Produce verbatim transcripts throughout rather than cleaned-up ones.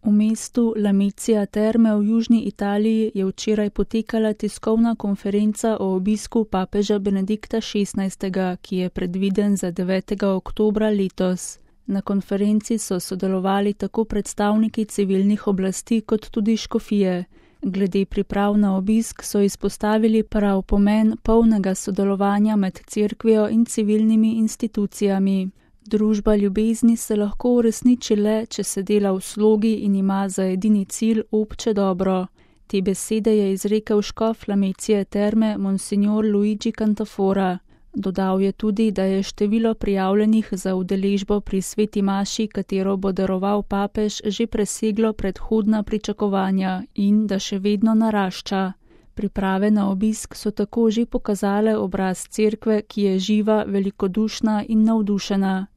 V mestu Lamezia Terme v južni Italiji je včeraj potekala tiskovna konferenca o obisku papeža Benedikta šestnajstega, ki je predviden za devetega oktobra letos. Na konferenci so sodelovali tako predstavniki civilnih oblasti kot tudi škofije. Glede priprav na obisk so izpostavili prav pomen polnega sodelovanja med cerkvijo in civilnimi institucijami. Družba ljubezni se lahko uresniči le, če se dela v slogi in ima za edini cilj obče dobro. Te besede je izrekel škof Lamezie Terme monsignor Luigi Cantafora. Dodal je tudi, da je število prijavljenih za udeležbo pri sveti maši, katero bo daroval papež, že preseglo predhodna pričakovanja in da še vedno narašča. Priprave na obisk so tako že pokazale obraz cerkve, ki je živa, velikodušna in navdušena.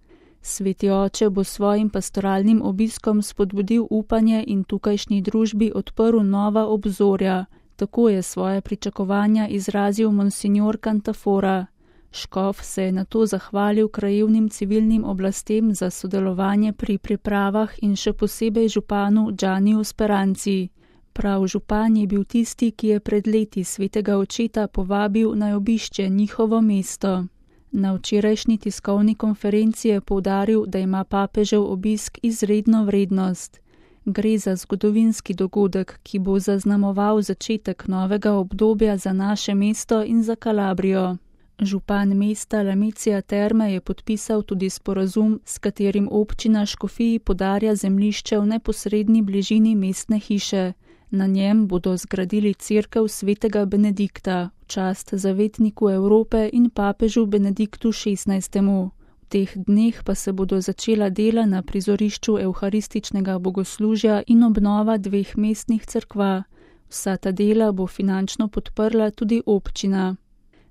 Sveti oče bo svojim pastoralnim obiskom spodbudil upanje in tukajšnji družbi odprl nova obzorja. Tako je svoje pričakovanja izrazil monsignor Cantafora. Škof se je nato zahvalil krajevnim civilnim oblastem za sodelovanje pri pripravah in še posebej županu Gianniju Speranci. Prav župan je bil tisti, ki je pred leti svetega očeta povabil naj obišče njihovo mesto. Na včerajšnji tiskovni konferenci je poudaril, da ima papežev obisk izredno vrednost. Gre za zgodovinski dogodek, ki bo zaznamoval začetek novega obdobja za naše mesto in za Kalabrijo. Župan mesta Lamezia Terme je podpisal tudi sporazum, s katerim občina škofiji podarja zemljišče v neposredni bližini mestne hiše. Na njem bodo zgradili cerkev svetega Benedikta, v čast zavetniku Evrope in papežu Benediktu šestnajstemu. V teh dneh pa se bodo začela dela na prizorišču evharističnega bogoslužja in obnova dveh mestnih cerkva. Vsa ta dela bo finančno podprla tudi občina.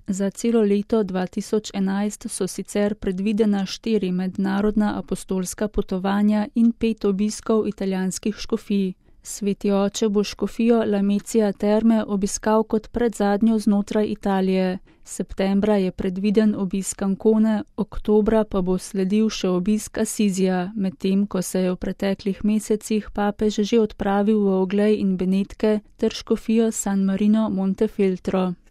Za celo leto dva tisoč enajst so sicer predvidena štiri mednarodna apostolska potovanja in pet obiskov italijanskih škofij. Sveti oče bo škofijo Lamezia Terme obiskal kot predzadnjo znotraj Italije. Septembra je predviden obisk Ancone, oktobra pa bo sledil še obisk Asizija, medtem ko se je v preteklih mesecih papež že odpravil v Oglej in Benetke ter škofijo San Marino Montefeltro.